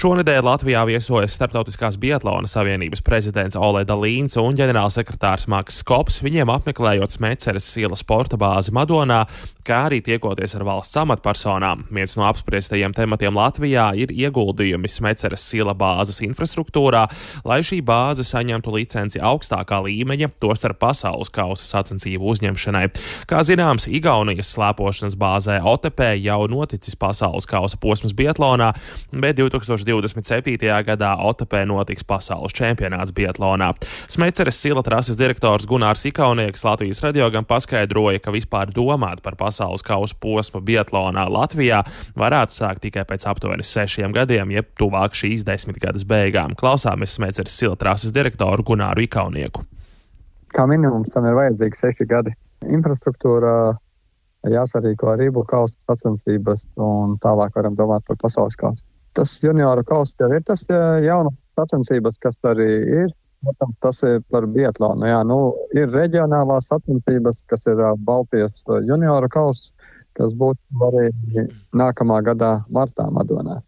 Šonedēļ Latvijā viesojas Starptautiskās biatlona savienības prezidents Oleda Līns un ģenerālsekretārs Makss Skops, viņiem apmeklējot Smeceres iela sporta bāzi Madonā, kā arī tiekoties ar valsts amatpersonām. Viens no apspriestajiem tematiem Latvijā ir ieguldījumi Smeceres iela bāzes infrastruktūrā, lai šī bāze saņemtu licenci augstākā līmeņa, tostarp pasaules kausa sacensību uzņemšanai. Kā zināms, Igaunijas slēpošanas bāzē Otepē jau noticis pasaules kausa posms biatlonā, bet 2027. gadā Otepē notiks pasaules čempionāts biatlonā. Smeceres iela trases direktors Gunārs Ikaunieks Latvijas radio gan paskaidroja, ka vispār domāt par pasaules kausa posmu biatlonā Latvijā varētu sākt tikai pēc aptuveni 6 gadiem, jeb tuvāk šīs 10 gadas beigām. Klausāmies Smeceres iela trases direktoru Gunāru Ikaunieku. Kā minimums tam ir vajadzīgi 6 gadi. Infrastruktūra jāsarīko arī kausa sacensības un tālāk varam domāt par pasaules kausu. Tas junioru kausa jau ir tas jaunas sacensības, kas arī ir. Protams, tas ir par biatlonu. Jā, ir reģionālās sacensības, kas ir Baltijas junioru kausa, kas būtu arī nākamā gadā martā Madonā.